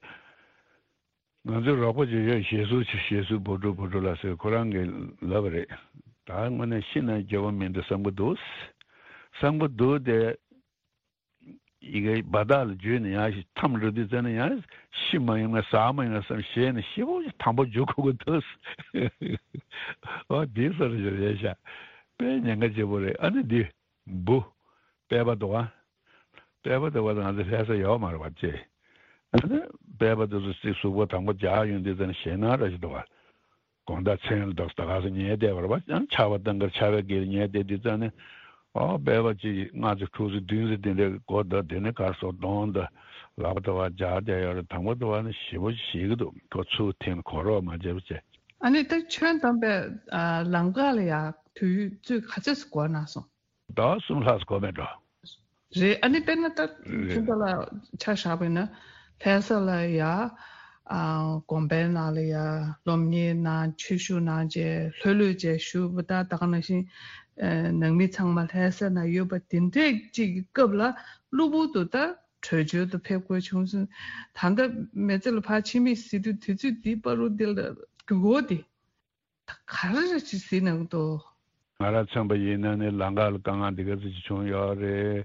ང་ཚོའི་རོགས་པ་ཅིག་ཡོད། ཞེ་སུ་ཞེ་སུ་བུ་ཕྲུག་བུ་ཕྲུག་ལགས་ཟེར་ཁོ་རང་གིས་ལབ་པ་རེད། ད་དངོས་གནས་ཤི་ན་འགྱོད་པ་མི་འདུག་བསམ་གྱི་འདུག་བསམ་གྱི་འདུག་དེ། ཡི་གེ་བ་དག་ལ་འཇུས་ནས་ཡང་ཞིག་མཐའ་མ་འགྲོ་དུས་ཙམ་ནས་ཡང་ཤི་མ་ཡོང་ན་ཟ་མ་ཡོང་ན་བསམ་ཞེད་ནས་ཞེ་པོ་ཅིག་དང་པོ་འཇུ་དགོས་ཀྱི་འདུག་འོ་དེ་སོ་རེ་རེད་ཤག་དཔེ་ཉེན་ཁ་ཆེ་པོ་རེད། ཨ་ནི་འདི། འབུ། པད་པ་འདུག་ག་པད་པ་འདུག་ག་ང་ཚོ་ལྷ་ས་ཡོད་མ་རེད་པ་ཅེ། ཨ་ནི་པད་པ་དེ་ཚོ་ཅིག་གཟུགས་པོ་དང་པོ་རྒྱག་ཡོང་དུས་ཙམ་ཞེད་སྣང་ར་ཞིག་འདུག་ག་དགོང་དག་མཚན་ལ་འདུག་ད་ག་སེ་ཉལ་བསྡད་པ་རེད་པ། ཨ་ནི་ཆར་པ་བཏང་གར་ཆར་པའི་དཀྱིལ་ཉལ་བསྡད་དུས་ཙམ་ནས་ཨོ་པད་པ་ཅིག་ལྔ་ཙམ་དྲུག་ཙམ་བདུན་ཙམ་དེ་འདྲའི་སྒོ་བརྡབ་དེ་ནས་གར་སོང་གདོང་དང་ལག་པ་དེ་བ་རྒྱག་བསྡད་ཡོད་རེད། དང་པོ་དེ་བ་ནི་ཞེ་པོ་ཞིག་ཞེད་ཀྱི་འདུག་ཁོ་ཚུར་འཐེན་གོ་རོགས་མ་བྱས་པ་བྱས། ཨ་ནི་ད་ཁྱོན་བསྡོམས་པའི་ལམ་ཁ་ལ་ཡ་དུས་ཚོད་ག་ཚོད་སུ་འགོར་གནང་སོང་། ཟླ་བ་གསུམ་ལྷག་འགོར་མེད་འགྲོ། རེད། ཨ་ནི་དཔེར་ན་ད་རེད། ཁྱོད་ལ་ཆ་བཞག་པ་ཡིན་ན་ལྷ་ས་ལ་ཡ་ཨ་དགོན་པའི་ནང་ལ་ཡ་སློབ་གཉེར་གནང་ཆོས་ཞུགས་གནང་བྱས་ལྷོད་ལྷོད་བྱས་བཞུགས་པ་ད་ད་ག་ནང་བཞིན་ཨ་ནང་མི་ཚང་མ་ལྷ་ས་ན་ཡོད་པ་དེ་འདྲས་ཅིག་གི་སྐབས་ལ་གློ་བུར་དུ་ད་བྲོས་བྱོལ་དུ་ཕེབས་དགོས་བྱུང་སོང་། ད་ལྟ་མི་ཚེ་ལ་ཕར་ཕྱིན་མི་ཟེར་དུས་དུས་ཚོད་འདི་བར་དུ་འདི་ལ་རྒྱུག་འོ་དེ། ད་ག་རེ་རེ་ཅིག་ཟིན་ནང་དུ། ང་རང་མཚོན་པ་ཡིན་ན་ནི་ལམ་ཁ་ལ་དཀའ་ངལ་འདི་ག་ཚོད་ཅིག་བྱུང་ཡོད་རེད།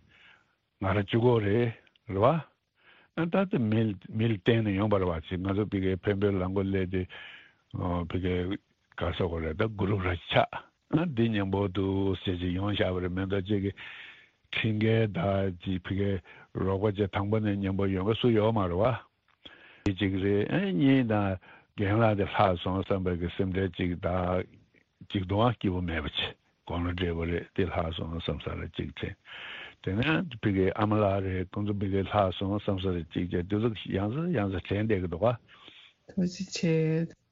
ང་རང་གཅིག་པོ་རེད། རེད་བ། ཨ་ད་ལྟ་མི་མི་ལ་བརྟེན་ནས་ཡོང་བ་རེད་བ། ཅིག་ང་ཚོ་ཕ་གིའི་འཕན་པོའི་ལ་མགོ་སླེབས་དུས་ཨོ་ཕ་གིའི་ག་ཟེར་དགོས་རེད། ད་གུ་རུབ་ར་ཆགས། ཨ་འདི་མཉམ་པོ་འདུག་ཟེར་ཅིག་ཡོང་བཞག་པ་རེད་མ་གཏོགས། ཅིག་གི་ཁྲིམས་འགལ་ད་ཅིག་ཕ་གིའི་རོགས་པ་ཅིག་དང་པོ་ནས་མཉམ་པོ་ཡོང་མཁན་སུ་ཡོད་མ་རེད་བ། དེ་གཅིག་རེད། ཨེ་གཉིས་དང་རྒན་ལགས་དེ་ལྷག་སོང་བསམ་པའི་གི་སེམས་ཁྲལ་གཅིག་དང་། གཅིག་དུའང་སྐྱིད་པོ་མེད་པ་བྱས། དགུང་ལོ་བགྲེས་པོ་རེད། དེ་ལྷག་སོང་བསམ་ས་རེད་གཅིག་དྲན། དེ་ནས་ཕ་གིའི་ཨ་མ་ལགས་རེད། ཁོང་ཚོ་ཕ་གིའི་ལྷག་སོང་བསམ་ས་རེད་གཅིག་བྱས། དེ་ཚོ་ཡང་སེ་ཡང་སེ་དྲན་བསྡད་ཀྱི་འདུག་ག། ཐུགས་རྗེ་ཆེ།